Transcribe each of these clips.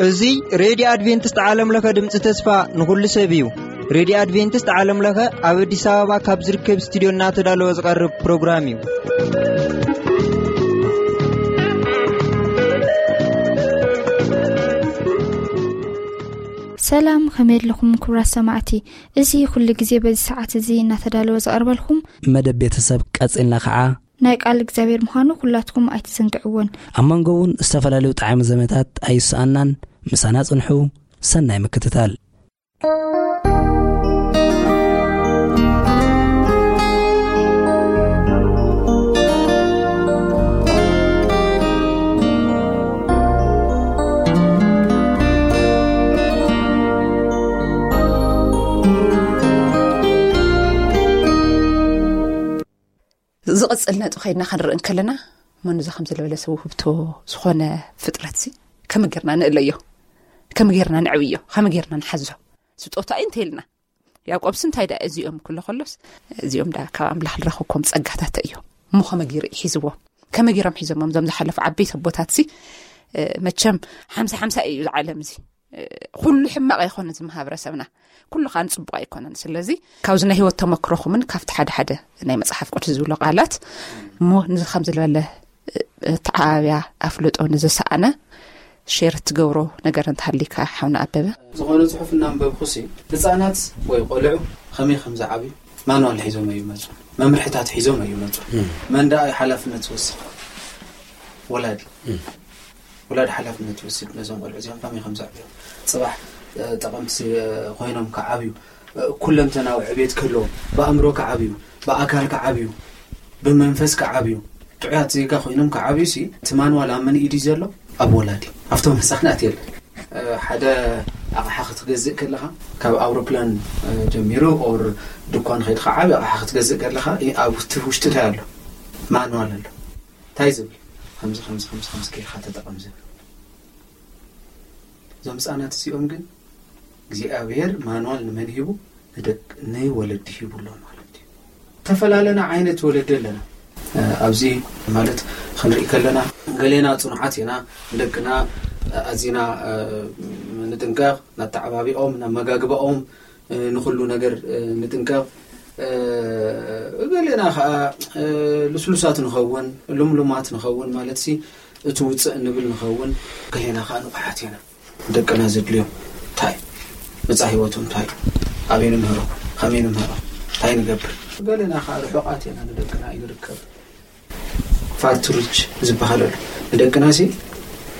እዚ ሬድዮ ኣድቬንቲስት ዓለም ለኸ ድምፂ ተስፋ ንኹሉ ሰብ እዩ። ሬድዮ ኣድቬንቲስት ዓለም ለኸ ኣብ ኣዲስ ኣበባ ካብ ዝርከብ ስቱዲዮ እናተዳለወ ዝቐርብ ፕሮግራም እዩ። ሰላም፣ ከመይ ኣለኹም ክቡራት ሰማዕቲ? እዚ ኩሉ ግዜ በዚ ሰዓት እዚ እናተዳለወ ዝቐርበልኩም መደብ ቤተሰብ ቀጺልና ኸዓ ናይ ቃል እግዚኣብሔር ምዃኑ ኩላትኩም ኣይትዘንግዕዎን። ኣብ መንጎ እውን ዝተፈላለዩ ጣዕሚ ዘመታት ኣይሰኣናን። ምሳና ጽንሑ። ሰናይ ምክትታል። ዝቕጽል ነጥቢ ከይድና ክንርኢ እንከለና፣ መኑ እዚ ከምዚ ዝበለ ሰብ ውህብቶ ዝኾነ ፍጥረትሲ ከመይ ጌርና ንእለዮ? ከመይ ጌርና ንዕብዮ? ከመይ ጌርና ንሓዞ? ስጦታ እዩ እንተ ኢልና፣ ያዕቆብስ እንታይ ደኣ እዚኦም ክብሎ ከሎስ፣ እዚኦም ደኣ ካብ ኣምላኽ ዝረኸብኩም ጸጋታት እዮም። እሞ ከመይ ገይሩ እዩ ሒዝዎም? ከመይ ገይሮም ሒዞሞም እዞም ዝሓለፉ ዓበይቲ ኣቦታትሲ? እ፣ መቸም ሓምሳ ሓምሳ እዩ እዚ ዓለም እዚ። እ፣ ኩሉ ሕማቕ ኣይኮነን እዚ ማህበረሰብና። ኩሉ ከኣ ንጽቡቕ ኣይኮነን። ስለዚ ካብዚ ናይ ህይወት ተመክሮኹምን ካብቲ ሓደ ሓደ ናይ መጽሓፍ ቅዱስ ዝብሎ ቃላት እሞ፣ ንዚ ከም ዝበለ፣ እ፣ ተዓባብያ ኣፍልጦ ንዝሰኣነ ሼር ትገብሮ ነገር እንተሃሊካ ሓውና ኣበበ። ዝኾነ ጽሑፍ እናንበብኩሲ፣ ህጻናት ወይ ቆልዑ ከመይ ከም ዝዓብዩ ማንዋል ሒዞም እዩ መጹ፣ መምርሕታት ሒዞም እዩ መጹ። መን ደኣ እዩ ሓላፍነት ዝወስድ? ወላዲ። ወላዲ ሓላፍነት ይወስድ ነዞም ቆልዑ እዚኦም ከመይ ከም ዘዕብዮም። ጽባሕ፣ እ፣ ጠቐምቲ፣ እ፣ ኮይኖም ክዓብዩ፣ እ፣ ኩለንተናዊ ዕቤት ክህልዎም፣ ብኣእምሮ ክዓብዩ፣ ብኣካል ክዓብዩ፣ ብመንፈስ ክዓብዩ፣ ጥዑያት ዜጋ ኮይኖም ክዓብዩ ሲ፣ እቲ ማንዋል ኣብ መን ኢድ እዩ ዘሎ? ኣብ ወላዲ፣ ኣብቶም ህጻናት የለን። እ፣ ሓደ ኣቕሓ ክትገዝእ ከለኻ፣ ካብ ኣውሮፕላን፣ እ፣ ጀሚሩ ኦር ድኳን ከይድካ ዓቢ ኣቕሓ ክትገዝእ ከለኻ፣ እ፣ ኣብ ውሽጢ፣ ውሽጢ እንታይ ኣሎ? ማንዋል ኣሎ። እንታይ ዝብል? ከምዚ፣ ከምዚ፣ ከምዚ፣ ከምዚ ጌርካ ተጠቐም ዝብል። እዞም ህጻናት እዚኦም ግን እግዚኣብሔር ማንዋል ንመን ሂቡ? ንደቅ-፣ ንወለዲ ሂቡ ኣሎ ማለት እዩ። ተፈላለና ዓይነት ወለዲ ኣለና። እ፣ ኣብዚ ማለት ክንርኢ ከለና፣ ገሌና ጽኑዓት ኢና፣ ንደቅና ኣዚና፣ እ፣ ንጥንቀቕ፣ ናተዓባቢኦም፣ ናመጋግባኦም፣ እ፣ ንኹሉ ነገር፣ እ፣ ንጥንቀቕ። እ፣ ገሌና ኸኣ፣ እ፣ ልስሉሳት ንኸውን፣ ልምሉማት ንኸውን ማለትሲ፣ እቲ ውጽእ እንብል ንኸውን። ገሌና ኸኣ ንቑሓት ኢና። ደቅና ዘድልዮም እንታይ? መጻኢ ህይወቶም እንታይ? ኣበይ ንምህሮ? ከመይ ንምህሮ? እንታይ ንገብር? ገሌና ኸኣ ርሑቓት ኢና፣ ንደቅና ኣይንርከብ። ፋርትሩች ዝበሃል ኣሎ። ንደቅናሲ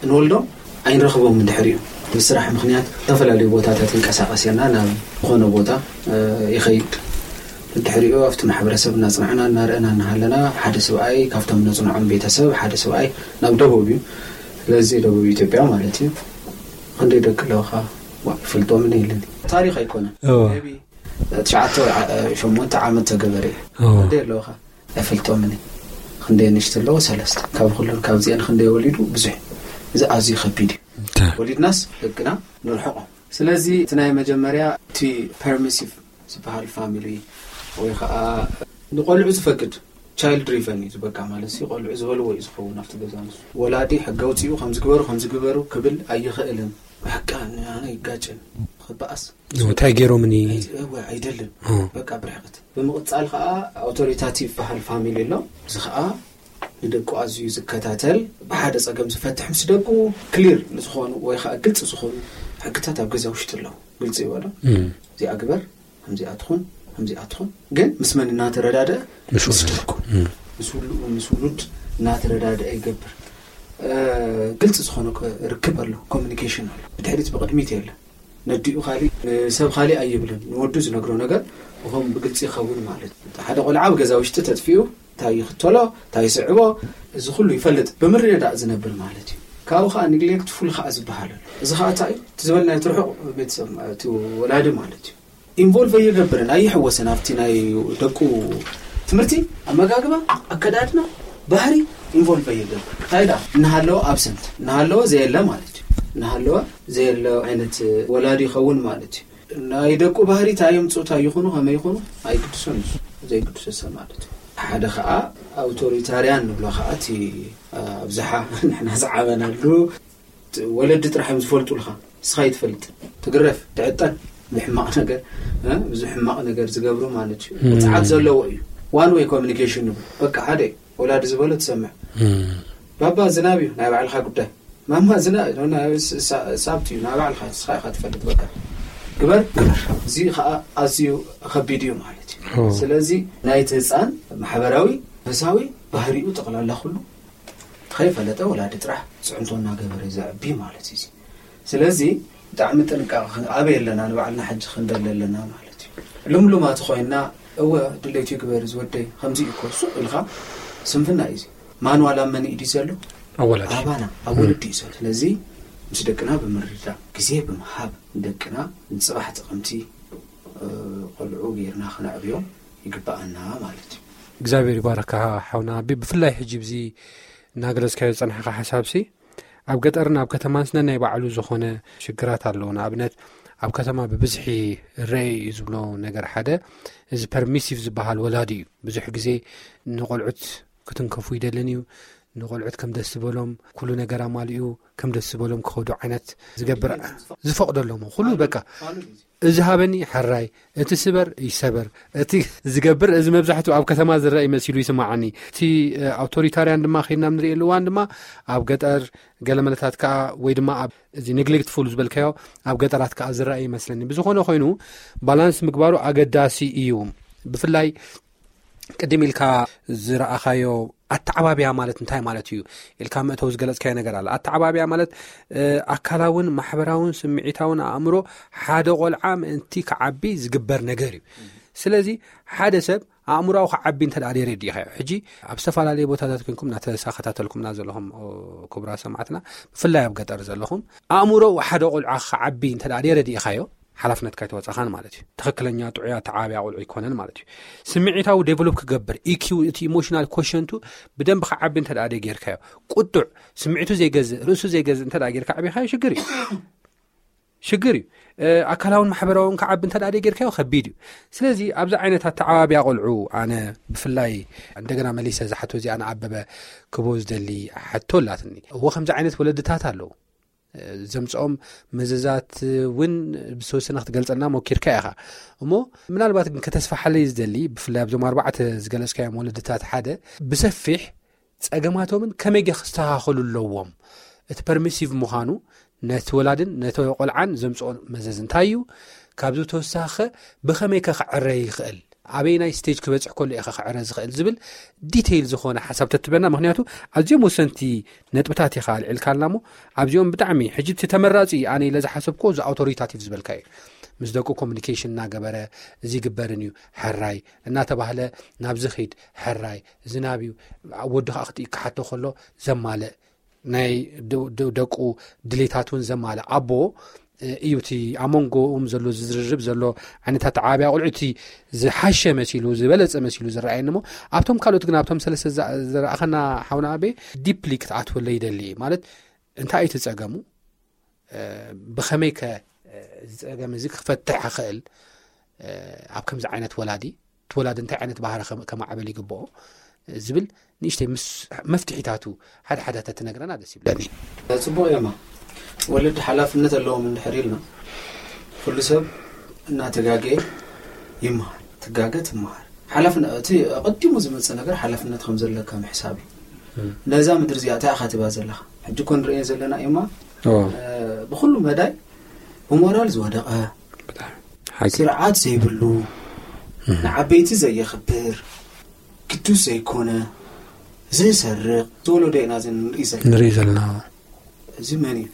እንወልዶም ኣይንረኽቦም። እንድሕሪኡ ብስራሕ ምኽንያት ዝተፈላለዩ ቦታታት ይንቀሳቐስ የና፣ ናብ ዝኾነ ቦታ፣ እ፣ ይኸይድ። እንድሕሪኡ ኣብቲ ማሕበረሰብ እናጽናዕና እናረእና እናሃለና፣ ሓደ ሰብኣይ ካብቶም ነጽንዖም ቤተሰብ፣ ሓደ ሰብኣይ ናብ ደቡብ እዩ። ስለዚ ደቡብ ኢትዮጵያ ማለት እዩ። ክንደይ ደቂ ኣለውኻ? ዋ፣ ይፈልጦምን የለን። ታሪኽ ኣይኮነን። እዎ። ሜቢ ትሽዓተ ወይ ዓ-፣ ሸሞንተ ዓመት ተገበረ እዩ። እዎ። ክንደይ ኣለውኻ? ኣይፈልጦምን እዩ። ክንደይ ንሽቲ ኣለዎ? ሰለስተ። ካብ ኩለን ካብዚአን ክንደይ ወሊዱ? ብዙሕ። እዚ ኣዝዩ ከቢድ እዩ። እታ። ወሊድናስ ደቅና ንርሕቆም። ስለዚ እቲ ናይ መጀመርያ እቲ ፐርሚሲቭ ዝበሃል ፋሚሊ ወይ ከዓ ንቆልዑ ዝፈቅድ ቻይልድ ድሪቨን እዩ ዝበቃ ማለት እዩ። ቆልዑ ዝበልዎ እዩ ዝኸውን ኣብቲ ገዛ ንሱ። ወላዲ ሕጊ ኣውፂኡ ከምዚ ግበሩ ከምዚ ግበሩ ክብል ኣይኽእልን። በቃ ንኣነ ይጋጭን ክበኣስ። እንታይ ገይሮምኒ? ኣይ-፣ እወ፣ ኣይደልን። እ። በቃ ብርሕቀት። ብምቕጻል ከኣ ኣውቶሪታቲቭ በሃል ፋሚሊ ኣሎ። እዚ ከኣ ንደቁ ኣዝዩ ዝከታተል፣ ብሓደ ጸገም ዝፈትሕ ምስ ደቁ ክሊር ዝኾኑ ወይ ከኣ ግልጺ ዝኾኑ ሕግታት ኣብ ገዛ ውሽጢ ኣለዉ። ግልጺ ይበሎ። እም። እዚኣ ግበር፣ ከምዚኣ ትኹን፣ ከምዚኣ ትኹን። ግን ምስ መን እናተረዳድአ? ምስ ምስ ወለድ። ደቁ። እም። ምስ ውሉ-፣ ምስ ውሉድ እናተረዳድአ ይገብር። እ፣ ግልጺ ዝኾነ ኮ-፣ ርክብ ኣሎ፣ ኮሚኒኬሽን ኣሎ። ብድሕሪት ብቕድሚት የለን። ነዲኡ ካሊእ፣ ንሰብ ካሊእ ኣይብልን። ንወዱ ዝነግሮ ነገር ብኸም ብግልጺ ይኸውን ማለት እዩ። ሓደ ቆልዓ ኣብ ገዛ ውሽጢ ተጥፊኡ፣ እንታይ ይኽተሎ፣ እንታይ ይስዕቦ፣ እዚ ኩሉ ይፈልጥ። ብምርድዳእ ዝነብር ማለት እዩ። ካብኡ ኸዓ ኒግሌክትፉል ኸዓ ዝበሃል ኣሎ። እዚ ኸዓ እንታይ እዩ? እቲ ዝበልናዮ እቲ ርሑቕ ቤተሰብ፣ እቲ ወላዲ ማለት እዩ። ኢንቮልቭ ኣይገብርን፣ ኣይሕወስን ኣብቲ ናይ ደቁ ትምህርቲ፣ ኣመጋግባ፣ ኣከዳድና፣ ባህሪ ኢንቮልቭ ኣይገብር። እንታይ ደኣ? እናሃለወ ኣብሰንት፣ እናሃለወ ዘየለ ማለት እዩ። እናሃለወ ዘየለ ዓይነት ወላዲ ይኸውን ማለት እዩ። ናይ ደቁ ባህሪ እንታይ የምፅኡ እንታይ ይኹኑ ከመይ ይኹኑ ኣይግድሶን እዩ። ዘይግድሶ ሰብ ማለት እዩ። ሓደ ከዓ ኣውቶሪታርያን ንብሎ ከዓ እቲ ኣብዝሓ ንሕና ዝዓበናሉ ወለዲ ጥራሕ እዮም ዝፈልጡ። ልካ እስኻ ይትፈልጥ ትግረፍ ትዕጠን ብሕማቕ ነገር ብዙ ሕማቕ ነገር ዝገብሩ ማለት እዩ። ፅዓት ዘለዎ እዩ። ዋን ወይ ኮሚኒኬሽን ንብሎ በቃ ሓደ ወላዲ ዝበሎ ትሰምዕ። ባባ ዝናብ እዩ ናይ ባዕልኻ ጉዳይ። ማማ ዝና ሳብት እዩ ናይ ባዕልኻ እስኻ ኢኻ ትፈልጥ በቃ ግበር ግበር። እዚ ከዓ ኣዝዩ ከቢድ እዩ ማለት እዩ። ስለዚ ናይቲ ህፃን ማሕበራዊ መንፈሳዊ ባህሪኡ ጠቕላላ ኩሉ ከይፈለጠ ወላዲ ጥራሕ ፅዕንቶ እናገበረ ዘዕቢ ማለት እዩ። ስለዚ ብጣዕሚ ጥንቃቐ ኣበይ ኣለና ንባዕልና ሕጂ ክንደሊ ኣለና ማለት እዩ። ልምሉማት ኮይና እወ ድሌት ይግበር ዝወደይ ከምዚ እዩ እኮ ሱቕ ኢልካ ስንፍና እዩ። ማንዋል ኣብ መን ኢዲ ዘሎ? ኣባና ኣብ ወለዲ እዩ ዘሎ። ስለዚ ምስ ደቅና ብምርዳእ ግዜ ብምሃብ ንደቅና ንፅባሕ ጥቕምቲ ቆልዑ ጌርና ክነዕብዮም ይግባኣና ማለት እዩ። እግዚኣብሔር ይባረካ ሓውና ኣቢ። ብፍላይ ሕጂ ብዚ እናገለጽካዮ ዝጸናሕካ ሓሳብሲ ኣብ ገጠርን ኣብ ከተማን ስነ ናይ ባዕሉ ዝኾነ ሽግራት ኣለዎ። ንኣብነት ኣብ ከተማ ብብዝሒ ረይ እዩ ዝብሎ ነገር ሓደ እዚ ፐርሚሲቭ ዝበሃል ወላዲ እዩ። ብዙሕ ግዜ ንቆልዑት ክትንከፉ ይደልን እዩ። ንቆልዑት ከም ደስ ዝበሎም ኩሉ ነገር ኣማሊኡ ከም ደስ ዝበሎም ክኸዱ ዓይነት ዝገብር ዝፈቕደሎም ኩሉ በቃ እዚ ሃበኒ ሕራይ እቲ ስበር ይሰበር እቲ ዝገብር እዚ መብዛሕትኡ ኣብ ከተማ ዝረአ ይመሲሉ ይስማዓኒ። እቲ ኣውቶሪታርያን ድማ ከይድና ንርእየሉ እዋን ድማ ኣብ ገጠር ገለመለታት ከዓ ወይ ድማ ኣብ እዚ ኔግሌክትፉል ዝበልካዮ ኣብ ገጠራት ከዓ ዝረአ ይመስለኒ። ብዝኾነ ኮይኑ ባላንስ ምግባሩ ኣገዳሲ እዩ። ብፍላይ ቅድም ኢልካ ዝረኣኻዮ ኣተዓባብያ ማለት እንታይ ማለት እዩ ኢልካ መእተው ዝገለጽካዮ ነገር ኣሎ። ኣተዓባብያ ማለት ኣካላውን ማሕበራውን ስምዒታውን ኣእምሮ ሓደ ቆልዓ ምእንቲ ክዓቢ ዝግበር ነገር እዩ። ስለዚ ሓደ ሰብ ኣእምሮዊ ክዓቢ እንተ ደኣ ደይረዲእኻዮ ሕጂ ኣብ ዝተፈላለየ ቦታታት ኮንኩም እናተሳኸታተልኩምና ዘለኹም ክቡራ ሰማዕትና ብፍላይ ኣብ ገጠር ዘለኹም ኣእምሮዊ ሓደ ቆልዓ ክዓቢ እንተ ደኣ ደይረዲእኻዮ ሓላፍነትካ ኣይተወጻኻን ማለት እዩ። ትኽክለኛ ጥዑይ ኣተዓባብያ ቆልዑ ኣይኮነን ማለት እዩ። ስምዒታዊ ዴቨሎፕ ክገብር ኢኪው እቲ ኢሞሽናል ኮሸንቱ ብደንብ ክዓቢ እንተ ደኣ ጌርካዮ ቁጡዕ ስምዒቱ ዘይገዝእ ርእሱ ዘይገዝእ እንተ ደኣ ጌርካ ዓቢኻዮ ሽግር እዩ ሽግር እዩ። ኣካላውን ማሕበራውን ክዓቢ እንተ ደኣ ጌርካዮ ከቢድ እዩ። ስለዚ ኣብዚ ዓይነት ኣተዓባብያ ቆልዑ ኣነ ብፍላይ እንደገና መሊሰ ዝሓቶ እዚኣ ንኣበበ ክቦ ዝደሊ ሓቶ ኣላትኒ። እዎ ከምዚ ዓይነት ወለድታት ኣለዉ። ዘምፅኦም መዘዛት እውን ብዝተወሰነ ክትገልፀልና ሞኪርካ ኢኻ እሞ ምናልባት ግን ከተስፋሓለይ ዝደሊ ብፍላይ ኣብዞም ኣርባዕተ ዝገለፅካዮም ወለድታት ሓደ ብሰፊሕ ፀገማቶምን ከመይ ገ ክስተኻኸሉ ኣለዎም እቲ ፐርሚሲቭ ምዃኑ ነቲ ወላድን ነቲ ቆልዓን ዘምፅኦ መዘዝ እንታይ እዩ ካብዚ ተወሳኸ ብኸመይ ከ ክዕረ ይኽእል ኣበይ ናይ ስቴጅ ክበፅሕ ከሎ ኢኻ ክዕረ ዝኽእል ዝብል ዲቴይል ዝኾነ ሓሳብ ተትበና ምክንያቱ ኣዝዮም ወሰንቲ ነጥብታት ኢኻ ኣልዒልካልና እሞ ኣብዚኦም ብጣዕሚ ሕጂ እቲ ተመራፂ ኣነ ኢለ ዝሓሰብኮ እዚ ኣውቶሪታቲቭ ዝበልካ እዩ ምስ ደቁ ኮሚኒኬሽን እናገበረ እዚ ግበርን እዩ ሕራይ እናተባህለ ናብዚ ኺድ ሕራይ ዝናብ እዩ ወዲ ከዓ ክሓቶ ከሎ ዘማልእ ናይ ደቁ ድሌታት እውን ዘማልእ ኣቦ እዩ እቲ ኣብ መንጎኦም ዘሎ ዝዝርርብ ዘሎ ዓይነት ኣተዓባብያ ቆልዑ እቲ ዝሓሸ መሲሉ ዝበለፀ መሲሉ ዝረኣየኒ እሞ ኣብቶም ካልኦት ግን ኣብቶም ሰለስተ ዝረኣኸና ሓውና ኣቤ ዲፕሊ ክትኣትወለ ይደሊ ማለት እንታይ እዩ ትፀገሙ ብኸመይ ከ ዝፀገም እዚ ክፈትሕ ይኽእል ኣብ ከምዚ ዓይነት ወላዲ እቲ ወላዲ እንታይ ዓይነት ባህሪ ከማዕበል ይግብኦ ዝብል ንእሽተይ ምስ መፍትሒታቱ ሓደ ሓደ ተትነግረና ደስ ይብለኒ። ፅቡቕ እዮማ ወለዲ ሓላፍነት ኣለዎም እንድሕር ኢልና ኩሉ ሰብ እናተጋገየ ይመሃር ትጋገ ትመሃር ሓላፍነት እቲ ኣቐዲሙ ዝመፅእ ነገር ሓላፍነት ከም ዘለካ ምሕሳብ እዩ። ነዛ ምድሪ እዚኣ እንታይ ኢኻ ትባ ዘለኻ ሕጂ እኮ ንርእዮ ዘለና እዮማ ብኩሉ መዳይ ብሞራል ዝወደቐ ስርዓት ዘይብሉ ንዓበይቲ ዘየኽብር ግዱስ ዘይኮነ ዝሰርቕ ዝወለዶ ኢና ንርኢ ዘለና ንርኢ ዘለና እዚ መን እዩ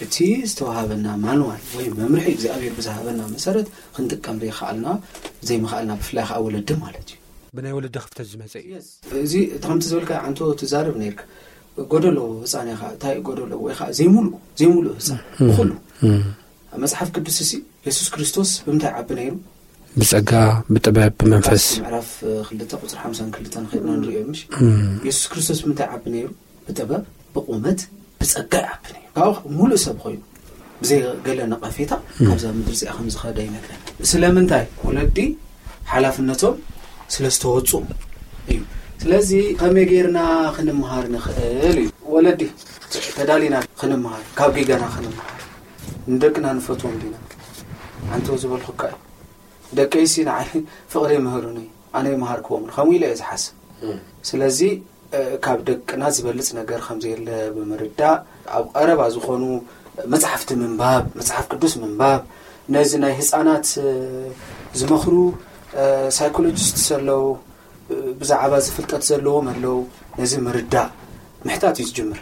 እቲ ዝተዋሃበና ማንዋል ወይ መምርሒ እግዚኣብሔር ብዝሃበና መሰረት ክንጥቀም ዘይከኣልና ዘይምኽኣልና ብፍላይ ከዓ ወለዲ ማለት እዩ ብናይ ወለዲ ክፍተት ዝመፀ እዩ እዚ ከምቲ ዝበልካ ዓንቶ ትዛረብ ነርካ ጎደሎ ህፃን ኢኻ እንታይ ጎደሎ ወይ ከዓ ዘይሙሉእ ዘይሙሉእ ህፃን ብኩሉ ኣብ መፅሓፍ ቅዱስ ሲ የሱስ ክርስቶስ ብምንታይ ዓቢ ነይሩ ብፀጋ ብጥበብ ብመንፈስ ምዕራፍ ክልተ ቁፅሪ ሓምሳን ክልተን ከድና ንሪኦ ምሽ የሱስ ክርስቶስ ብምንታይ ዓቢ ነይሩ ብጥበብ ብቁመት ብፀጋ ይዓቢ ነይሩ ካብኡ ሙሉእ ሰብ ኮይኑ ብዘይ ገለ ነቐፌታ ካብዛ ምድሪ እዚኣ ከም ዝኸደ ይነግረን። ስለምንታይ? ወለዲ ሓላፍነቶም ስለ ዝተወፁ እዩ። ስለዚ ከመይ ጌርና ክንምሃር ንኽእል እዩ? ወለዲ ተዳሊና ክንምሃር፣ ካብ ጌጋና ክንምሃር፣ ንደቅና ንፈትዎም ዲና? ኣንተ ዝበልኩካ እዩ። ደቀይሲ ንዓይ ፍቕሪ ይምህሩኒ፣ ኣነ ይምሃርክዎም፣ ከምኡ ኢለ እየ ዝሓስብ። ስለዚ ካብ ደቅና ዝበልፅ ነገር ከም ዘየለ ብምርዳእ፣ ኣብ ቀረባ ዝኾኑ መፅሓፍቲ ምንባብ፣ መፅሓፍ ቅዱስ ምንባብ፣ ነዚ ናይ ህፃናት ዝመኽሩ ሳይኮሎጂስት ኣለዉ፣ ብዛዕባ ዝፍልጠት ዘለዎም ኣለዉ። ነዚ ምርዳእ ምሕታት እዩ ዝጅምር።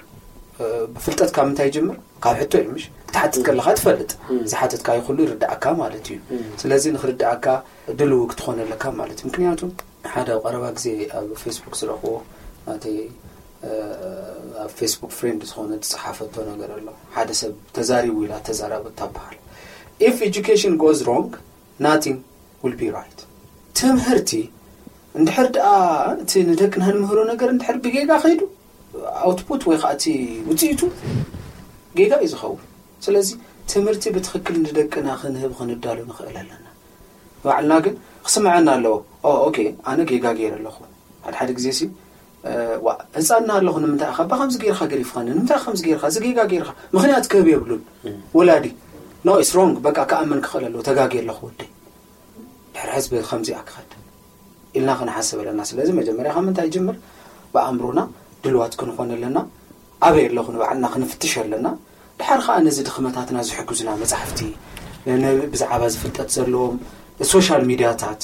ብፍልጠት ካብ ምንታይ ይጅምር? ካብ ሕቶ እዩ፣ ምሽ? ክትሓትት ከለኻ ትፈልጥ። ዝሓተትካዮ ኩሉ ይርዳእካ ማለት እዩ። ስለዚ ንክርዳእካ ድልው ክትኾን ኣለካ ማለት እዩ። ምክንያቱ ሓደ ኣብ ቀረባ ግዜ ኣብ ፌስቡክ ዝረኽቦ፣ ናተይ ኣብ ፌስቡክ ፍሬንድ ዝኾነ ዝፀሓፈቶ ነገር ኣሎ። ሓደ ሰብ ተዛሪቡ ኢላ ተዛራቡ እታበሃል፣ if education goes wrong, nothing will be right። ትምህርቲ እንድሕር ደኣ እቲ ንደቅና ንምህሮ ነገር እንድሕር ብጌጋ ከይዱ፣ ኣውትፑት ወይ ከዓ እቲ ውፅኢቱ ጌጋ እዩ ዝኸውን። ስለዚ ትምህርቲ ብትኽክል ንደቅና ክንህብ ክንዳሉ ንኽእል ኣለና። ባዕልና ግን ክስምዐና ኣለዎ። ኦ ኦኬ፣ ኣነ ጌጋ ገይረ ኣለኹ። ሓደ ሓደ ግዜ ሲ ዋ ህፃና ኣለኹ፣ ንምንታይ ኢኻ ባ ከምዚ ገይርካ ገሪፍኻኒ? ንምንታይ ኢኻ ከምዚ ገይርካ? እዚ ጌጋ ገይርካ። ምኽንያት ክህብ የብሉን። ወላዲ ኖ ኢስ ሮንግ፣ በቃ ክኣምን ክኽእል ኣለዎ። ተጋጊ ኣለኹ ወደይ፣ ድሕሪ ሕዝቢ ከምዚኣ ክኸድ ኢልና ክንሓስብ ኣለና። ስለዚ መጀመርያ ካብ ምንታይ ይጅምር? ብኣእምሮና ድልዋት ክንኾን ኣለና። ኣበይ ኣለኹ ንባዕልና ክንፍትሽ ኣለና። ድሓር ከዓ ነዚ ድኽመታትና ዝሕግዙና መጻሕፍቲ፣ ነ- ብዛዕባ ዝፍልጠት ዘለዎም ሶሻል ሚድያታት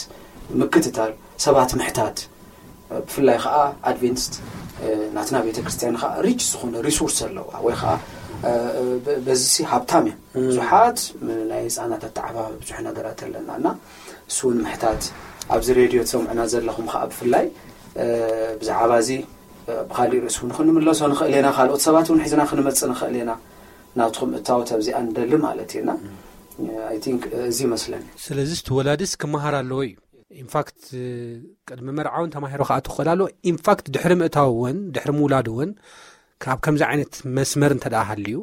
ምክትታል፣ ሰባት ምሕታት፣ ብፍላይ ከዓ ኣድቬንቲስት ናትና ቤተክርስትያን ከዓ ሪች ዝኾነ ሪሶርስ ኣለዋ፣ ወይ ከዓ በዚ ሲ ሃብታም እያ። ብዙሓት ናይ ህፃናት ኣተዓባቢ ብዙሕ ነገራት ኣለና እና እሱ እውን ምሕታት፣ ኣብዚ ሬድዮ ትሰምዑና ዘለኹም ከዓ ብፍላይ ብዛዕባ እዚ ብካሊእ ርእሲ እውን ክንምለሶ ንኽእል ኢና። ካልኦት ሰባት እውን ሒዝና ክንመፅእ ንኽእል ኢና። ናትኩም እታወት ኣብዚኣ ንደሊ ማለት እየና። ኣይ ቲንክ እዚ ይመስለኒ። ስለዚ እቲ ወላድስ ክመሃር ኣለዎ እዩ። ኢንፋክት ቅድሚ መርዓውን ተማሂሮ ክኣቱ ክኽእል ኣለዎ። ኢንፋክት ድሕሪ ምእታው እውን ድሕሪ ምውላድ እውን ካብ ከምዚ ዓይነት መስመር እንተ ደኣ ሃልዩ፣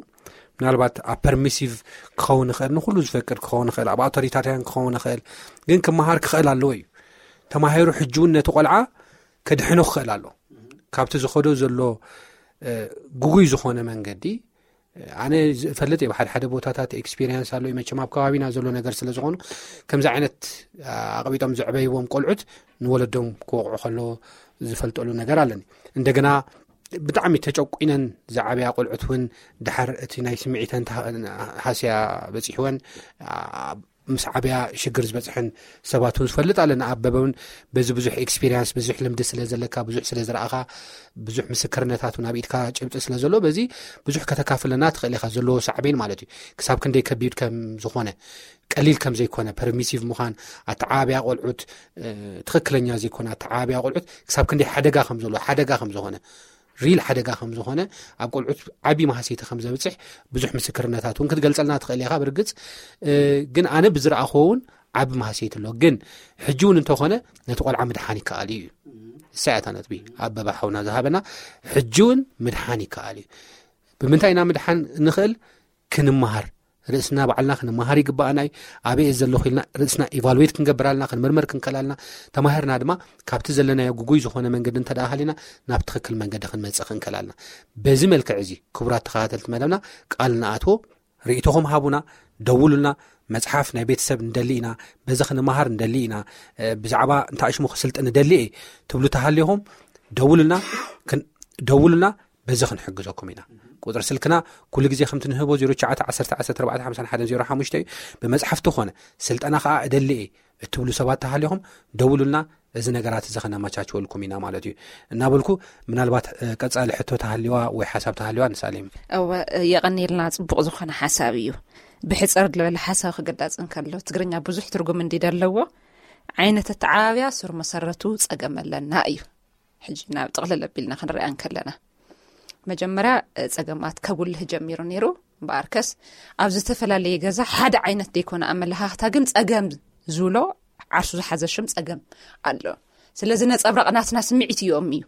ምናልባት ኣብ ፐርሚሲቭ ክኸውን ይኽእል፣ ንኩሉ ዝፈቅድ ክኸውን ይኽእል፣ ኣብ ኣውቶሪታርያን ክኸውን ይኽእል፣ ግን ክመሃር ክኽእል ኣለዎ እዩ። ተማሂሩ ሕጂ እውን ነቲ ቆልዓ ከድሕኖ ክኽእል ኣሎ። ካብቲ ዝኸዶ ዘሎ ግጉይ ዝኾነ መንገዲ ኣነ ዝፈልጥ እየ። ሓደ ሓደ ቦታታት ኤክስፒሪየንስ ኣሎ፣ መቸም ኣብ ከባቢና ዘሎ ነገር ስለ ዝኾኑ ከምዚ ዓይነት ኣቕቢጦም ዘዕበይዎም ቆልዑት ንወለዶም ክወቕዑ ከሎ ዝፈልጠሉ ነገር ኣለኒ። እንደገና ብጣዕሚ ተጨቁነን ዝዓበያ ቆልዑት እውን ድሓር እቲ ናይ ስምዒተን ሃስያ በፂሕወን ምስ ዓብያ ሽግር ዝበፅሐን ሰባት እውን ዝፈልጥ ኣለና። ኣበበ እውን በዚ ብዙሕ ኤክስፒሪንስ፣ ብዙሕ ልምዲ ስለ ዘለካ፣ ብዙሕ ስለ ዝረኣኻ፣ ብዙሕ ምስክርነታት እውን ኣብ ኢድካ ጭብጢ ስለ ዘሎ በዚ ብዙሕ ከተካፍለና ትኽእል ኢኻ። ዘለዎ ሳዕቤን ማለት እዩ ክሳብ ክንደይ ከቢድ ከም ዝኾነ፣ ቀሊል ከም ዘይኮነ፣ ፐርሚሲቭ ምዃን፣ ኣተዓባብያ ቆልዑት ትኽክለኛ ዘይኮነ ኣተዓባብያ ቆልዑት ክሳብ ክንደይ ሓደጋ ከም ዘሎ፣ ሓደጋ ከም ዝኾነ፣ ሪል ሓደጋ ከም ዝኾነ፣ ኣብ ቆልዑት ዓቢ ማህሰይቲ ከም ዘብፅሕ ብዙሕ ምስክርነታት እውን ክትገልፀልና ትኽእል ኢኻ። ብርግፅ ግን ኣነ ብዝረኣኽዎ እውን ዓቢ ማህሰይቲ ኣሎ። ግን ሕጂ እውን እንተኾነ ነቲ ቆልዓ ምድሓን ይከኣል እዩ። እሳያታ ነጥቢ ኣበባ ሓውና ዝሃበና ሕጂ እውን ምድሓን ይከኣል እዩ። ብምንታይ ኢና ምድሓን ንኽእል? ክንመሃር፣ ርእስና ባዕልና ክንመሃር ይግባኣና እዩ። ኣበይ ዘለኹ ኢልና ርእስና ኢቫሉዌት ክንገብር ኣለና፣ ክንምርምር ክንከል ኣለና። ተማሂርና ድማ ካብቲ ዘለናዮ ግጉይ ዝኾነ መንገዲ እንተ ደኣ ሃሊና ናብ ትኽክል መንገዲ ክንመጽእ ክንከል ኣለና። በዚ መልክዕ እዚ ክቡራት ተኸታተልቲ መደብና ቃል ንኣትዎ፣ ርእይቶኹም ሃቡና፣ ደውሉልና። መጽሓፍ ናይ ቤተሰብ ንደሊ ኢና፣ በዚ ክንመሃር ንደሊ ኢና፣ ብዛዕባ እንታይ ሽሙ ክስልጥ ንደሊ እየ ትብሉ ተሃሊኹም ደውሉልና፣ ደውሉልና። በዚ ክንሕግዘኩም ኢና። ቁፅሪ ስልክና ኩሉ ግዜ ከምቲ ንህቦ ዜሮ ትሽዓተ ዓሰርተ ዓሰርተ ኣርባዕተ ሓምሳ ሓደ ዜሮ ሓሙሽተ እዩ። ብመፅሓፍቲ ኮነ ስልጠና ከዓ እደሊ እየ እትብሉ ሰባት ተሃሊኹም ደውሉልና። እዚ ነገራት እዚ ከነመቻችወልኩም ኢና ማለት እዩ እናበልኩ፣ ምናልባት ቀፃሊ ሕቶ ተሃሊዋ ወይ ሓሳብ ተሃሊዋ ንሳሌም። እወ፣ የቐኒልና። ፅቡቕ ዝኾነ ሓሳብ እዩ። ብሕፅር ዝበለ ሓሳብ ክግለፅ እንከሎ፣ ትግርኛ ብዙሕ ትርጉም እንዲ ደለዎ ዓይነት ኣተዓባብያ ስር መሰረቱ ፀገም ኣለና እዩ። ሕጂ ናብ ጥቕልል ኣቢልና ክንሪኣ እንከለና፣ መጀመርያ ጸገማት ከጉልህ ጀሚሩ ነይሩ። እምበኣርከስ ኣብ ዝተፈላለየ ገዛ ሓደ ዓይነት ደይኮነ ኣመለኻኽታ፣ ግን ጸገም ዝብሎ ዓርሱ ዝሓዘ ሽም ጸገም ኣሎ። ስለዚ ነጸብራቕ ናትና ስምዒት እዮም እዩ።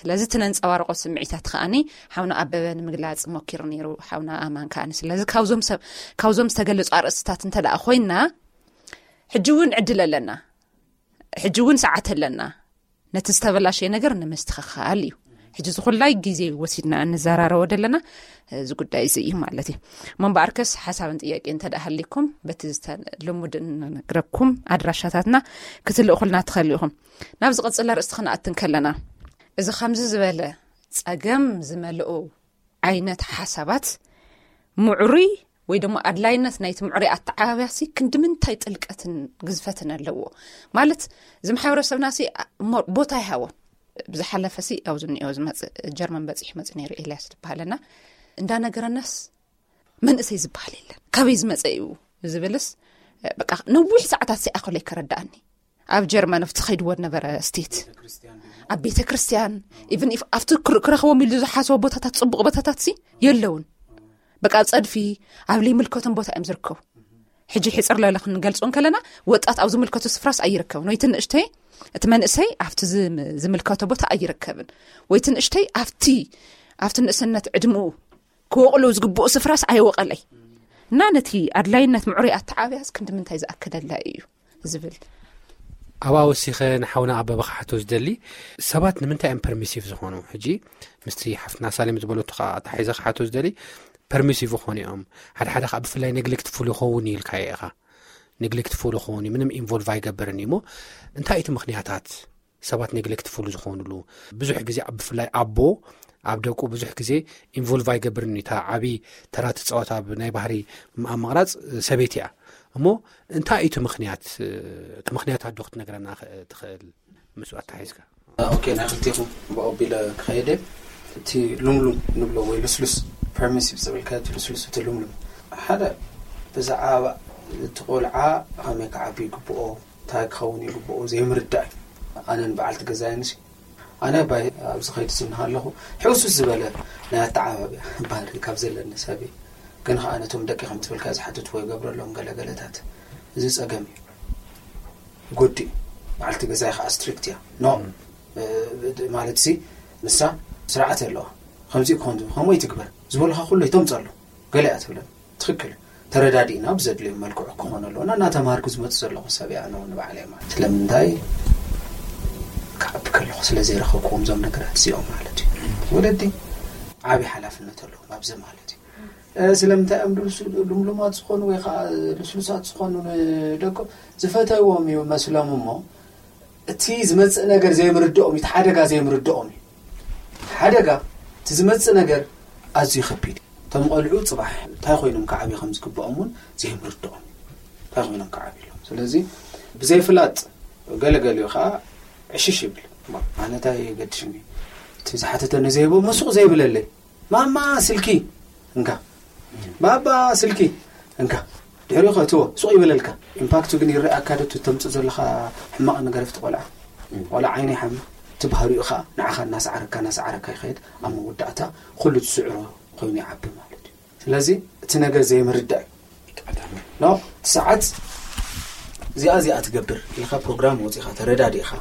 ስለዚ እቲ ነንጸባርቆ ስምዒታት ከኣኒ ሓውና ኣበበ ንምግላጽ ሞኪሩ ነይሩ፣ ሓውና ኣማን ከኣኒ። ስለዚ ካብዞም ሰብ ካብዞም ዝተገለጹ ኣርእስትታት እንተ ደኣ ኮይና፣ ሕጂ እውን ዕድል ኣለና፣ ሕጂ እውን ሰዓት ኣለና፣ ነቲ ዝተበላሸየ ነገር ንምስትኽኻል እዩ። ሕጂ ዝኹላይ ግዜ ወሲድና እንዘራረቦ ዘለና እዚ ጉዳይ እዚ እዩ ማለት እዩ። እሞ እምበኣርከስ ሓሳብን ጥያቄ እንተ ደኣ ሃሊኩም በቲ ዝተ- ልሙድ እንነግረኩም ኣድራሻታትና ክትልእኹልና ትኽእሉ ኢኹም። ናብ ዝቐጽል ኣርእስቲ ክንኣት እንከለና፣ እዚ ከምዚ ዝበለ ጸገም ዝመልኡ ዓይነት ሓሳባት ምዕሩይ ወይ ድማ ኣድላይነት ናይቲ ምዕሩይ ኣተዓባብያሲ ክንዲ ምንታይ ጥልቀትን ግዝፈትን ኣለዎ? ማለት እዚ ማሕበረሰብናሲ እሞ ቦታ ይሃቦ። ብዝሓለፈሲ ኣብዚ እኒኦ ዝመጽእ ጀርመን በጺሑ መጽእ ነይሩ ኤልያስ ዝበሃለና እንዳነገረናስ መንእሰይ ዝበሃል የለን፣ ካበይ ዝመጸ እዩ ዝብልስ በቃ ነዊሕ ሰዓታት ሲኣኸሎ ይከረዳኣኒ። ኣብ ጀርመን ኣብቲ ኸይድዎ ነበረ ስቴት ኣብ ቤተ ክርስቲያን ኢቭን ኣብቲ ክር- ክረኽቦም ኢሉ ዝሓስቦ ቦታታት ጽቡቕ ቦታታት ሲ የለውን። በቃ ኣብ ጸድፊ ኣብ ለይምልከቶም ቦታ እዮም ዝርከቡ። ሕጂ ሕጽር ለለ ክንገልጾ እንከለና ወጣት ኣብ ዝምልከቶ ስፍራስ ኣይርከብን ወይ ትንእሽተይ እቲ መንእሰይ ኣብቲ ዝም- ዝምልከቶ ቦታ ኣይርከብን ወይ ትንእሽተይ ኣብቲ ኣብቲ ንእስነት ዕድምኡ ክወቕሎ ዝግብኡ ስፍራስ ኣይወቐለይ እና ነቲ ኣድላይነት ምዕሩይ ኣተዓብያስ ክንዲ ምንታይ ዝኣከደላ እዩ ዝብል ኣብኣ ወሲኸ ንሓውና ኣበበ ክሓቶ ዝደሊ ሰባት ንምንታይ እዮም ፐርሚሲቭ ዝኾኑ? ሕጂ ምስቲ ሓፍትና ሳሌም ዝበለቱ ከዓ ኣታሓይዘ ክሓቶ ዝደሊ ፐርሚሲቭ ይኾኑ እዮም። ሓደ ሓደ ከዓ ብፍላይ ኔግሌክትፉል ይኸውን እዩ ኢልካዮ ኢኻ። ኔግሌክትፉል ይኸውን እዩ፣ ምንም ኢንቮልቭ ኣይገብርን እዩ። እሞ እንታይ እቲ ምኽንያታት ሰባት ኔግሌክትፉል ዝኾኑሉ? ብዙሕ ግዜ ኣብ- ብፍላይ ኣቦ ኣብ ደቁ ብዙሕ ግዜ ኢንቮልቭ ኣይገብርን እዩ። እታ ዓብዪ ተራ ትፃወት ኣብ ናይ ባህሪ ኣብ ምቕራፅ ሰበይቲ እያ። እሞ እንታይ እዩ እቲ ምኽንያት? እቲ ምኽንያት ኣዶ ክትነግረና ኸ- ትኽእል? ምስኡ ኣተሓሒዝካ ኦኬ፣ ናይ ክልቲኹም ብኦቢለ ክኸይደ እቲ ሉምሉም ንብሎ ወይ ልስሉስ ፐርሚሲቭ ዝብልካ እቲ ልስሉስ እቲ ሉምሉም ሓደ ብዛዕባ እቲ ቆልዓ ከመይ ክዓቢ ይግብኦ እንታይ ክኸውን ይግብኦ ዘይምርዳእ እዩ። ኣነን በዓልቲ ገዛይንሲ ኣነ ባይ ኣብዚ ኸይዲ ዝንሃ ኣለኹ ሕውሱስ ዝበለ ናይ ኣተዓባብያ ባህሪ ካብ ዘለኒ ሰብ እዩ። ግን ከዓ ነቶም ደቂ ከም ትብልካ ዝሓትትዎ ይገብረሎም ገለገለታት እዚ ፀገም እዩ። ጎዲ በዓልቲ ገዛይ ከዓ ስትሪክት እያ ኖ ማለት ሲ ንሳ ስርዓት ኣለዋ። ከምዚ ክኾን ከምኡ ይትግበር ዝበልካ ኩሉ ይተምፀሉ ገለ እያ ትብለን ትኽክል እዩ። ተረዳዲእና ብዘድልዮም መልክዑ ክኾን ኣለዎ እና እናተምሃርኩ ዝመፅ ዘለኹ ሰብ እያ ነ ንባዕለይ ማለት ስለምንታይ ክዓቢ ከለኹ ስለ ዘይረኸብኩዎም ዞም ነገራት እዚኦም ማለት እዩ። ወለዲ ዓብዪ ሓላፍነት ኣለዎም ኣብዚ ማለት እዩ። ስለምንታይ እዮም ልምሉማት ዝኾኑ ወይ ከዓ ልስሉሳት ዝኾኑ ንደቆም ዝፈተዎም እዩ መስሎም እሞ እቲ ዝመፅእ ነገር ዘይምርድኦም እዩ፣ ሓደጋ ዘይምርድኦም እዩ። ሓደጋ እቲ ዝመፅእ ነገር ኣዝዩ ከቢድ እዩ። እቶም ቆልዑ ፅባሕ እንታይ ኮይኖም ክዓብዩ ከም ዝግብኦም እውን ዘይምርድኦም እዩ። እንታይ ኮይኖም ክዓብዩ ኣለዎም። ስለዚ ብዘይፍላጥ ገለገሊኡ ከዓ ዕሽሽ ይብል። ኣነ እንታይ ገድሽኒ እቲ ዝሓተተኒ ዘይቦ መሱቕ ዘይብለለይ ማማ ስልኪ እንካ ባባ ስልኪ እንካ ድሕሪኡ ከእትዎ ሱቕ ይበለልካ። ኢምፓክቱ ግን ይረኣካ ዶ ተምፅእ ዘለካ ሕማቕ ነገር ኣብቲ ቆልዓ። ቆልዓ ዓይነ ይሓሚ እቲ ባህሪኡ ከዓ ንዓኻ እናሰዓረካ እናሰዓረካ ይኸይድ ኣብ መወዳእታ ኩሉ ትስዕሮ ኮይኑ ይዓቢ ማለት እዩ። ስለዚ እቲ ነገር ዘይምርዳእ እዩ። ኖ እቲ ሰዓት እዚኣ እዚኣ ትገብር ኢልካ ፕሮግራም ወፂኻ ተረዳዲእካ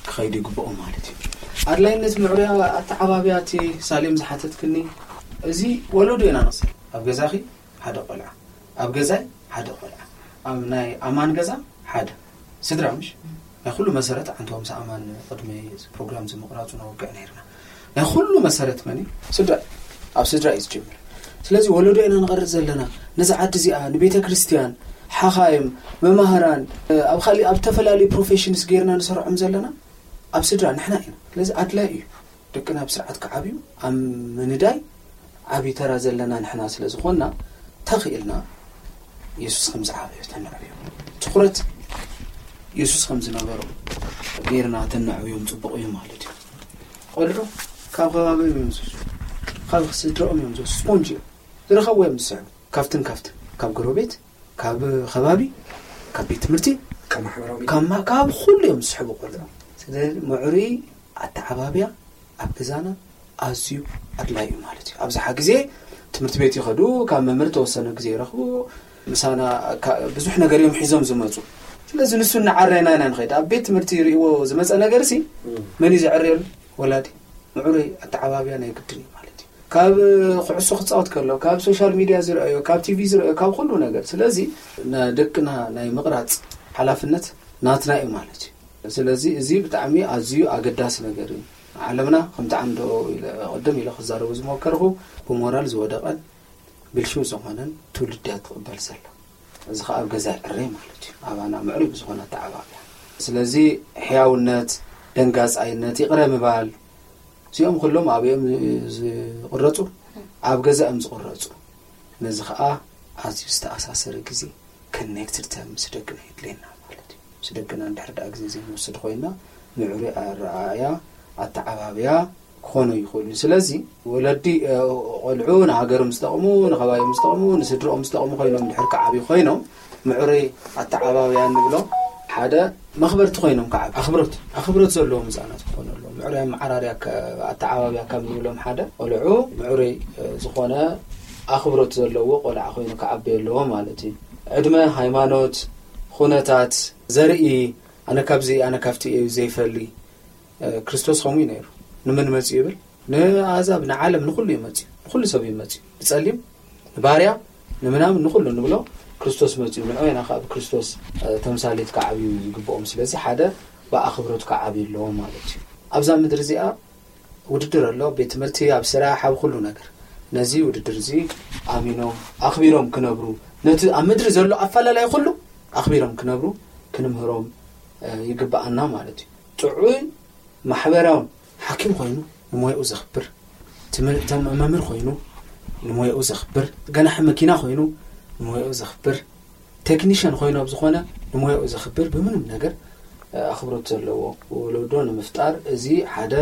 ክኸይዱ ይግብኦም ማለት እዩ። ኣድላይነት ምዕሩያ ኣተዓባብያ እቲ ሳሌም ዝሓተትክኒ እዚ ወለዶ ኢና ንቕሰል ኣብ ገዛኺ ሓደ ቆልዓ ኣብ ገዛይ ሓደ ቆልዓ ኣብ ናይ ኣማን ገዛ ሓደ ስድራ ምሽ ናይ ኩሉ መሰረት ኣንተ ምስ ኣማን ቅድሚ ፕሮግራም ዝምቕራፁ ነወግዕ ነይርና ናይ ኩሉ መሰረት መን እዩ? ስድራ ኣብ ስድራ እዩ ዝጅምር። ስለዚ ወለዶ ኢና ንቐርፅ ዘለና ነዚ ዓዲ እዚኣ ንቤተ ክርስቲያን ሓኻይም መማህራን ኣብ ካሊእ ኣብ ዝተፈላለዩ ፕሮፌሽንስ ገይርና ንሰርዖም ዘለና ኣብ ስድራ ንሕና ኢና። ስለዚ ኣድላይ እዩ ደቅና ብስርዓት ክዓብዩ ኣብ ምንዳይ ዓብዪ ተራ ዘለና ንሕና ስለ ዝኾንና ተኽኢልና የሱስ ከም ዝዓበዮ ተነዕብዮ ትኹረት የሱስ ከም ዝነበሮ ገይርና ተነዕብዮም ፅቡቕ እዩ ማለት እዩ። ቆልዑ ካብ ከባቢኦም እዮም ዝወስዱ፣ ካብ ስድራኦም እዮም ዝወስዱ። ስፖንጅ እዮም ዝረኸብዎ እዮም ዝስዕቡ። ካብትን ካብትን ካብ ጎረቤት፣ ካብ ከባቢ፣ ካብ ቤት ትምህርቲ፣ ካብ ማሕበራዊ ካብ ማ- ካብ ኩሉ እዮም ዝስሕቡ ቆልዑ። ስለዚ ምዕሩይ ኣተዓባብያ ኣብ ገዛና ኣዝዩ ኣድላይ እዩ ማለት እዩ። ኣብዝሓ ግዜ ትምህርቲ ቤት ይኸዱ፣ ካብ መምህር ተወሰነ ግዜ ይረኽቡ፣ ምሳና ካ- ብዙሕ ነገር እዮም ሒዞም ዝመፁ። ስለዚ ንሱ እናዓረና ኢና ንኸይድ። ኣብ ቤት ትምህርቲ ይርእይዎ ዝመፀ ነገር ሲ መን እዩ ዘዕርየሉ? ወላዲ። ምዕሩይ ኣተዓባብያ ናይ ግድን እዩ ማለት እዩ። ካብ ኩዕሶ ክፃወት ከሎ፣ ካብ ሶሻል ሚድያ ዝረኣዮ፣ ካብ ቲቪ ዝረኣዮ፣ ካብ ኩሉ ነገር። ስለዚ ንደቅና ናይ ምቕራፅ ሓላፍነት ናትና እዩ ማለት እዩ። ስለዚ እዚ ብጣዕሚ ኣዝዩ ኣገዳሲ ነገር እዩ። ዓለምና ከምቲ ዓንዶ ኢለ ቅድም ኢለ ክዛረቡ ዝሞከርኩ ብሞራል ዝወደቐን ብልሽው ዝኾነን ትውልድ እያ ትቕበል ዘላ። እዚ ከዓ ኣብ ገዛ ይዕረ ማለት እዩ። ኣባና ምዕሩይ ብዝኾነ ኣተዓባብያ። ስለዚ ሕያውነት፣ ደንጋፃይነት፣ ይቕረ ምባል፣ እዚኦም ኩሎም ኣብ እዮም ዝቕረፁ፣ ኣብ ገዛ እዮም ዝቕረፁ። ነዚ ከዓ ኣዝዩ ዝተኣሳሰረ ግዜ ኮኔክትድ ታይም ምስ ደቅና የድልየና ማለት እዩ። ምስ ደቅና እንድሕር ደኣ ግዜ ዘይንወስድ ኮይና ምዕሩይ ኣረኣእያ ኣተዓባብያ ክኾኑ ይኽእሉ። ስለዚ ወለዲ እ፣ ቆልዑ ንሃገሮም ዝጠቕሙ፣ ንኸባቢኦም ዝጠቕሙ፣ ንስድርኦም ዝጠቕሙ ኮይኖም እንድሕር ክዓብዩ ኮይኖም ምዕሩይ ኣተዓባብያ ንብሎ ሓደ መኽበርቲ ኮይኖም ክዓብዩ ኣኽብሮት ኣኽብሮት ዘለዎም ህፃናት ክኾኑ ኣለዎም። ምዕሩይ ኣመዓራርያ ከ- ኣተዓባብያ ካብ ንብሎም ሓደ ቆልዑ ምዕሩይ እ፣ ዝኾነ ኣኽብሮት ዘለዎ ቆልዓ ኮይኑ ክዓቢ ኣለዎ ማለት እዩ። ዕድመ፣ ሃይማኖት፣ ኩነታት፣ ዘርኢ ኣነ ካብዚ ኣነ ካብቲ እዩ ዘይፈሊ። እ፣ ክርስቶስ ከምኡ እዩ ነይሩ። ንመን መፅኡ ይብል? ንኣሕዛብ፣ ንዓለም፣ ንኹሉ እዩ መፅኡ። ንኹሉ ሰብ እዩ መፅኡ። ንፀሊም፣ ንባርያ፣ ንምናምን፣ ንኹሉ ንብሎ ክርስቶስ መፅኡ። ንዑ ኢና ከዓ ብክርስቶስ እ፣ ተምሳሌት ክዓብዩ ይግብኦም። ስለዚ ሓደ ብኣኽብሮት ክዓብዩ ኣለዎም ማለት እዩ። ኣብዛ ምድሪ እዚኣ ውድድር ኣሎ፣ ቤት ትምህርቲ፣ ኣብ ስራሕ፣ ኣብ ኩሉ ነገር። ነዚ ውድድር እዚ ኣሚኖም ኣኽቢሮም ክነብሩ፣ ነቲ ኣብ ምድሪ ዘሎ ኣፈላላይ ኩሉ ኣኽቢሮም ክነብሩ ክንምህሮም እ፣ ይግብኣና ማለት እዩ። ጥዑይ ማሕበራውን ሓኪም ኮይኑ ንሞያኡ ዘኽብር፣ ትምህር- ተም- መምህር ኮይኑ ንሞያኡ ዘኽብር፣ ገናሒ መኪና ኮይኑ ንሞያኡ ዘኽብር፣ ቴክኒሽን ኮይኑ ኣብ ዝኾነ ንሞያኡ ዘኽብር፣ ብምንም ነገር እ፣ ኣኽብሮት ዘለዎ ወለዶ ንምፍጣር እዚ ሓደ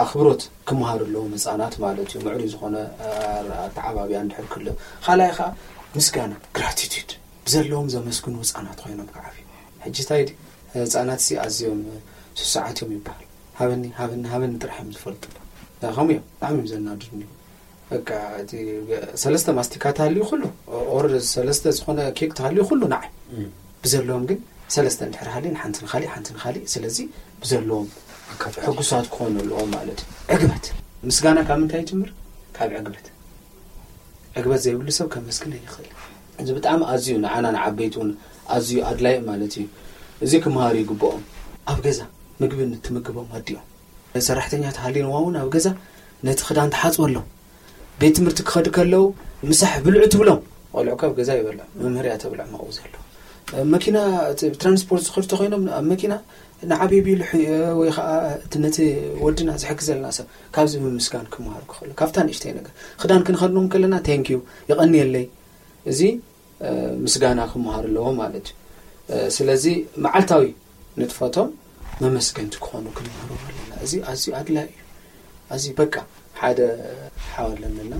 ኣኽብሮት ክመሃሩ ኣለዎም ህፃናት ማለት እዩ። ምዕሩይ ዝኾነ እ፣ ኣተዓባብያ እንድሕር ክህሉ፣ ካልኣይ ከዓ ምስጋና፣ ግራቲቱድ፣ ብዘለዎም ዘመስግኑ ህፃናት ኮይኖም ክዓብዩ። ሕጂ እንታይ ድዩ ህፃናት ሲ ኣዝዮም ስሱዓት እዮም ይበሃል። ሃበኒ ሃበኒ ሃበኒ ጥራሕ እዮም ዝፈልጡ። ከምኡ እዮም፣ ብጣዕሚ እዮም ዘናድዱኒ። በቃ እቲ ሰለስተ ማስቲካ ተሃልዩ ኩሉ ኦር ሰለስተ ዝኾነ ኬክ ተሃልዩ ኩሉ ንዓይ። ብዘለዎም ግን ሰለስተ እንድሕር ሃልዩ ንሓንቲ ንኻሊእ ሓንቲ ንኻሊእ። ስለዚ ብዘለዎም ሕጉሳት ክኾኑ ኣለዎም ማለት እዩ። ዕግበት ምስጋና ካብ ምንታይ ይጅምር? ካብ ዕግበት። ዕግበት ዘይብሉ ሰብ ከመስግን ኣይኽእል። እዚ ብጣዕሚ ኣዝዩ ንዓና ንዓበይቲ እውን ኣዝዩ ኣድላይ ማለት እዩ። እዚ ክመሃሩ ይግብኦም። ኣብ ገዛ ምግቢ ንትምግቦም ኣዲኦም ሰራሕተኛ ተሃልዩዋ እውን ኣብ ገዛ ነቲ ክዳን ትሓፅበሎም። ቤት ትምህርቲ ክኸዱ ከለዉ ምሳሕ ብልዑ ትብሎም። ቆልዑ ካብ ገዛ ይበልዑ፣ መምህር እያ ተብልዖም ኣብኡ ዘሎ። መኪና እቲ ትራንስፖርት ዝኸዱ ተኮይኖም ኣብ መኪና ንዓብይ ቢሉ ወይ ከዓ እቲ ነቲ ወድና ዝሕግዘልና ሰብ ካብዚ ምምስጋን ክመሃሩ ክኽእሉ። ካብታ ንእሽተይ ነገር ክዳን ክንኸድኖም ከለና ቴንኪዩ፣ የቐንየለይ፣ እዚ ምስጋና ክመሃሩ ኣለዎ ማለት እዩ። ስለዚ መዓልታዊ ንጥፈቶም መመስገንቲ ክኾኑ ክንምህሮም ኣለና። እዚ ኣዝዩ ኣድላይ እዩ። ኣዝዩ በቃ ሓደ ሓው ኣለና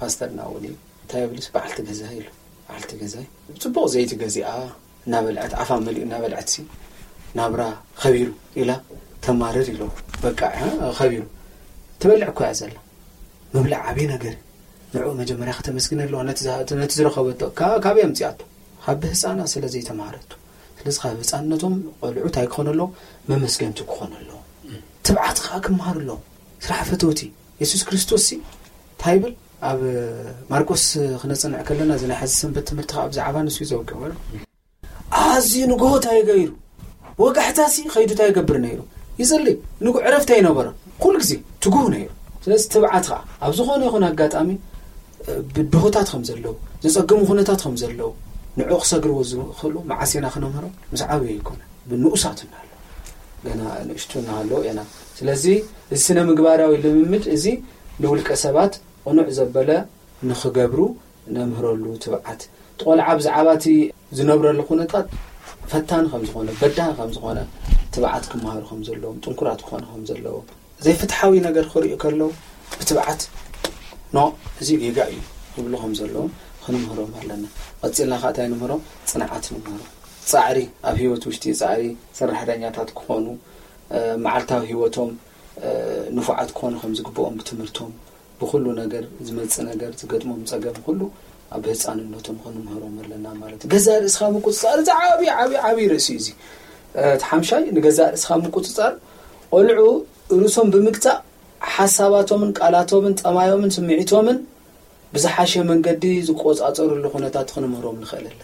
ፓስተርና እውን እዩ። እንታይ የብልስ በዓልቲ ገዛ ኢሉ። በዓልቲ ገዛይ ጽቡቕ ዘይቲ ገዚኣ እናበልዐት ኣፋ መሊኡ እናበልዐት ሲ ናብራ ከቢሩ ኢላ ተማርር ኢሎ። በቃ እ፣ ከቢሩ ትበልዕ እኮ እያ ዘላ። ምብላዕ ዓብዪ ነገር እዩ። ንዕኡ መጀመርያ ከተመስግን ኣለዋ። ነቲ ዝሃ- ነቲ ዝረኸበቶ ካ- ካበይ ኣምፂኣቶ? ካብ ብህፃና ስለ ዘይተማሃረቶ። ስለዚ ካብ ህፃንነቶም ቆልዑ እንታይ ክኾኑ ኣለዎም? መመስገንቲ ክኾኑ ኣለዎም። ትብዓት ከዓ ክመሃሩ ኣለዎም። ስራሕ ፈተውቲ። የሱስ ክርስቶስ ሲ እንታይ ይብል? ኣብ ማርቆስ ክነፅንዕ ከለና እዚ ናይ ሓዚ ሰንበት ትምህርቲ ከዓ ብዛዕባ ንሱ እዩ ዘውቅዕ። ኣዝዩ ንግሆ እንታይ ገይሩ? ወጋሕታ ሲ ከይዱ እንታይ ይገብር ነይሩ? ይፅሊ። ንጉ ዕረፍቲ ኣይነበሮ። ኩሉ ግዜ ትጉህ ነይሩ። ስለዚ ትብዓት ከዓ ኣብ ዝኾነ ይኹን ኣጋጣሚ እ፣ ብድሆታት ከም ዘለዉ፣ ዘፀግሙ ኩነታት ከም ዘለዉ ንዕኡ ክሰግርዎ ዝኽእሉ መዓስ ኢና ክነምህሮም? ምስ ዓበዩ ኣይኮነ፣ ብንኡሳት እናሃለዉ፣ ገና ንእሽቱ እናሃለዉ ኢና። ስለዚ እዚ ስነ ምግባራዊ ልምምድ እዚ ንውልቀ ሰባት ቅኑዕ ዘበለ ንኽገብሩ ነምህረሉ ትብዓት። እቲ ቆልዓ ብዛዕባ እቲ ዝነብረሉ ኩነታት ፈታኒ ከም ዝኾነ፣ በዳሂ ከም ዝኾነ፣ ትብዓት ክመሃሩ ከም ዘለዎም፣ ጥንኩራት ክኾኑ ከም ዘለዎም፣ ዘይፍትሓዊ ነገር ክርእዩ ከለዉ ብትብዓት ኖ፣ እዚ ጌጋ እዩ ክብሉ ከም ዘለዎም ክንምህሮም ኣለና። ቀፂልና ከዓ እንታይ ንምህሮም? ፅንዓት ንምህሮም። ፃዕሪ፣ ኣብ ህይወት ውሽጢ ፃዕሪ፣ ሰራሕተኛታት ክኾኑ፣ እ፣ መዓልታዊ ህይወቶም እ፣ ንፉዓት ክኾኑ ከም ዝግብኦም ብትምህርቶም፣ ብኹሉ ነገር ዝመፅእ ነገር ዝገጥሞም ፀገም ኩሉ ኣብ ህፃንነቶም ክንምህሮም ኣለና ማለት እዩ። ገዛእ ርእስኻ ምቁፅፃር እዚ ዓብዪ ዓብዪ ዓብዪ ርእሲ እዩ እዚ። እ፣ እቲ ሓምሻይ ንገዛእ ርእስኻ ምቁፅፃር ቆልዑ ርእሶም ብምግዛእ ሓሳባቶምን ቃላቶምን ጠማዮምን ስምዒቶምን ብዝሓሸ መንገዲ ዝቆጻጸርሉ ኩነታት ክንምህሮም ንኽእል ኣለና።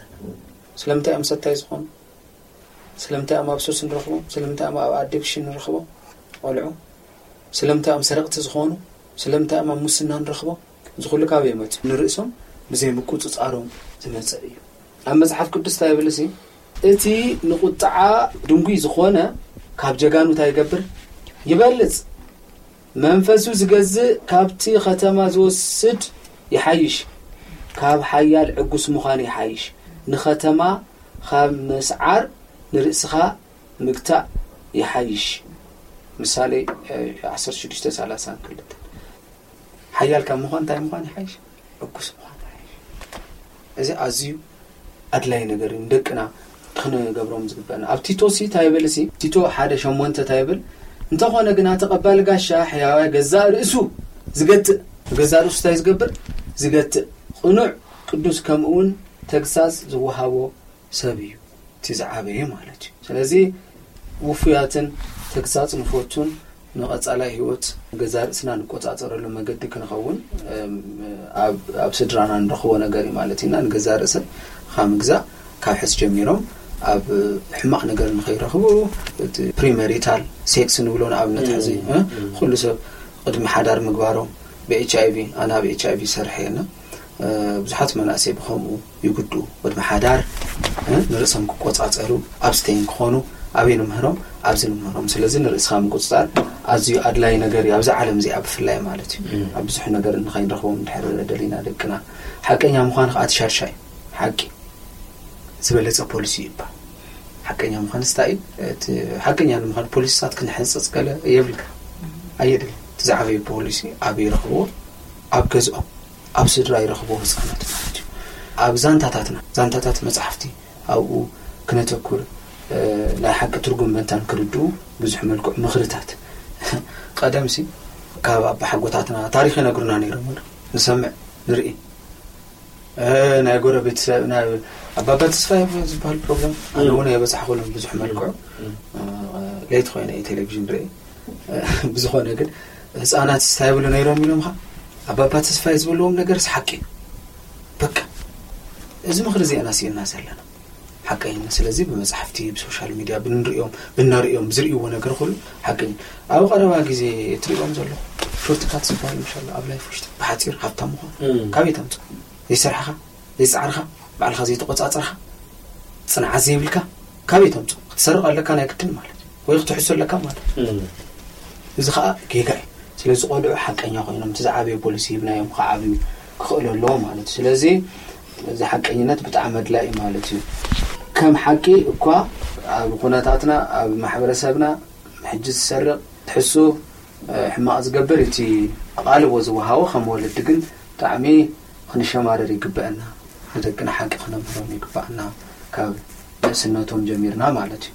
ስለምንታይ እዮም ሰታይ ዝኾኑ? ስለምንታይ እዮም ኣብ ሱስ ንረኽቦም? ስለምንታይ እዮም ኣብ ኣዲክሽን ንረኽቦም? ቆልዑ ስለምንታይ እዮም ሰረቕቲ ዝኾኑ? ስለምንታይ እዮም ኣብ ሙስና ንረኽቦም? እዚ ኩሉ ካበይ መጽኡ? ንርእሶም ብዘይ ምቁጽጻሮም ዝመጸ እዩ። ኣብ መጽሓፍ ቅዱስ እንታይ ይብል? እቲ ንቁጥዓ ድንጉይ ዝኾነ ካብ ጀጋኑ እንታይ ይገብር? ይበልጽ። መንፈሱ ዝገዝእ ካብቲ ኸተማ ዝወስድ ይሓይሽ፣ ካብ ሓያል ዕጉስ ምዃን ይሓይሽ። ንኸተማ ካብ ምስዓር ንርእስኻ ምግታእ ይሓይሽ። ምሳሌ ዓሰርተ ሽዱሽተ ሰላሳ ክልተ። ሓያል ካብ ምዃን እንታይ ምዃን ይሓይሽ? ዕጉስ ምዃን ይሓይሽ። እዚ ኣዝዩ ኣድላይ ነገር እዩ ንደቅና ክንገብሮም ዝግበአና። ኣብ ቲቶ ሲ እንታይ ይብል? ሲ ቲቶ ሓደ ሸሞንተ እንታይ ይብል? እንተኾነ ግና ተቐባሊ ጋሻ ሕያዋይ ገዛእ ርእሱ ዝገትእ፣ ገዛእ ርእሱ እንታይ ዝገብር? ዝገትእ፣ ቅኑዕ ቅዱስ ከምኡ እውን ተግሳጽ ዝወሃቦ ሰብ እዩ እቲ ዝዓበየ ማለት እዩ። ስለዚ ውፉያትን ተግሳጽ ንፈቱን ንቐጻላይ ህይወት ገዛ ርእስና ንቆጻጸረሉ መገዲ ክንኸውን ኣብ ስድራና ንረኽቦ ነገር እዩ ማለት ኢና። ንገዛ ርእሰ ካብ ምግዛእ ካብ ሕስ ጀሚሮም ኣብ ሕማቕ ነገር ንኸይረኽቡ፣ እቲ ፕሪመሪታል ሴክስ ንብሎ ንኣብነት ሕዚ ኩሉ ሰብ ቅድሚ ሓዳር ምግባሮም ብኤች ኣይቪ፣ ኣና ብኤች ኣይቪ ሰርሐ የና ብዙሓት መናእሰይ ብኸምኡ ይጉድኡ። ወድሚ ሓዳር ንርእሶም ክቆጻጸሩ ኣብስተይን ክኾኑ ኣበይ ንምህሮም? ኣብዚ ንምህሮም። ስለዚ ንርእስኻ ምቁጽጻር ኣዝዩ ኣድላይ ነገር እዩ ኣብዚ ዓለም እዚኣ ብፍላይ ማለት እዩ። ኣብ ብዙሕ ነገር ንኸይንረኽቦም እንድሕር ደሊና ደቅና ሓቀኛ ምዃን ከዓ እቲ ሻድሻይ ሓቂ ዝበለጸ ፖሊሲ ይባል። ሓቀኛ ምዃን ስታይ እቲ ሓቀኛ ንምዃን ፖሊስታት ክንሕንጽጽ ገለ የብልካ ኣየድል። እቲ ዝዓበየ ፖሊሲ ኣብ ይረኽብዎ ኣብ ገዝኦም ኣብ ስድራ ይረኽብዎ ህፃናት ማለት እዩ። ኣብ ዛንታታትና ዛንታታት መፅሓፍቲ ኣብኡ ክነተኩር ናይ ሓቂ ትርጉም መንታን ክርድኡ ብዙሕ መልክዑ ምኽርታት ቀደም ሲ ካብ ኣባሓጎታትና ታሪክ ይነግሩና ነይሮም። ንሰምዕ ንርኢ ናይ ጎረቤት ሰብ ናይ ኣባባ ተስፋ ዝበሃል ፕሮግራም ኣነ እውን የበፃሕኩሎም ብዙሕ መልክዑ ለይቲ ኮይነ ቴሌቪዥን ርኢ። ብዝኾነ ግን ህፃናት ስታይ ብሉ ነይሮም ኢሎም ኻ ኣባባ ተስፋ ዝበልዎም ነገር ሓቂ እዩ። በቃ እዚ ምኽሪ ዚአና ስኢና ዘለና ሓቀይና። ስለዚ ብመፅሓፍቲ ብሶሻል ሚድያ ብንሪኦም ብነሪኦም ዝርእይዎ ነገር ኩሉ ሓቂ እዩ። ኣብ ቀረባ ግዜ ትሪእዎም ዘሎ ሾርትካት ዝበሃል ምሻሎ ኣብ ላይፍ ውሽጢ ብሓፂር ሃብታም ምዃን ካበይ ተምፅኦ? ዘይሰራሕኻ ዘይፃዕርኻ ባዕልኻ ዘይተቆፃፅርኻ ፅንዓት ዘይብልካ ካበይ ተምፅኦ? ክትሰርቕ ኣለካ ናይ ግድን ማለት ወይ ክትሕሱ ኣለካ ማለት። እዚ ከዓ ጌጋ እዩ። ስለዚ ቆልዑ ሓቀኛ ኮይኖም እቲ ዝዓበየ ፖሊሲ ሂብናዮም ክዓብዩ ክኽእሉ ኣለዎ ማለት እዩ። ስለዚ እዚ ሓቀኝነት ብጣዕሚ ኣድላይ ማለት እዩ። ከም ሓቂ እኳ ኣብ ኩነታትና ኣብ ማሕበረሰብና ሕጂ ዝሰርቕ ትሕሱ ሕማቕ ዝገብር እቲ ኣቓልቦ ዝወሃቦ ከም ወለዲ ግን ብጣዕሚ ክንሸማረር ይግበአና። ንደቅና ሓቂ ክነምህሮም ይግበኣና ካብ ንእስነቶም ጀሚርና ማለት እዩ።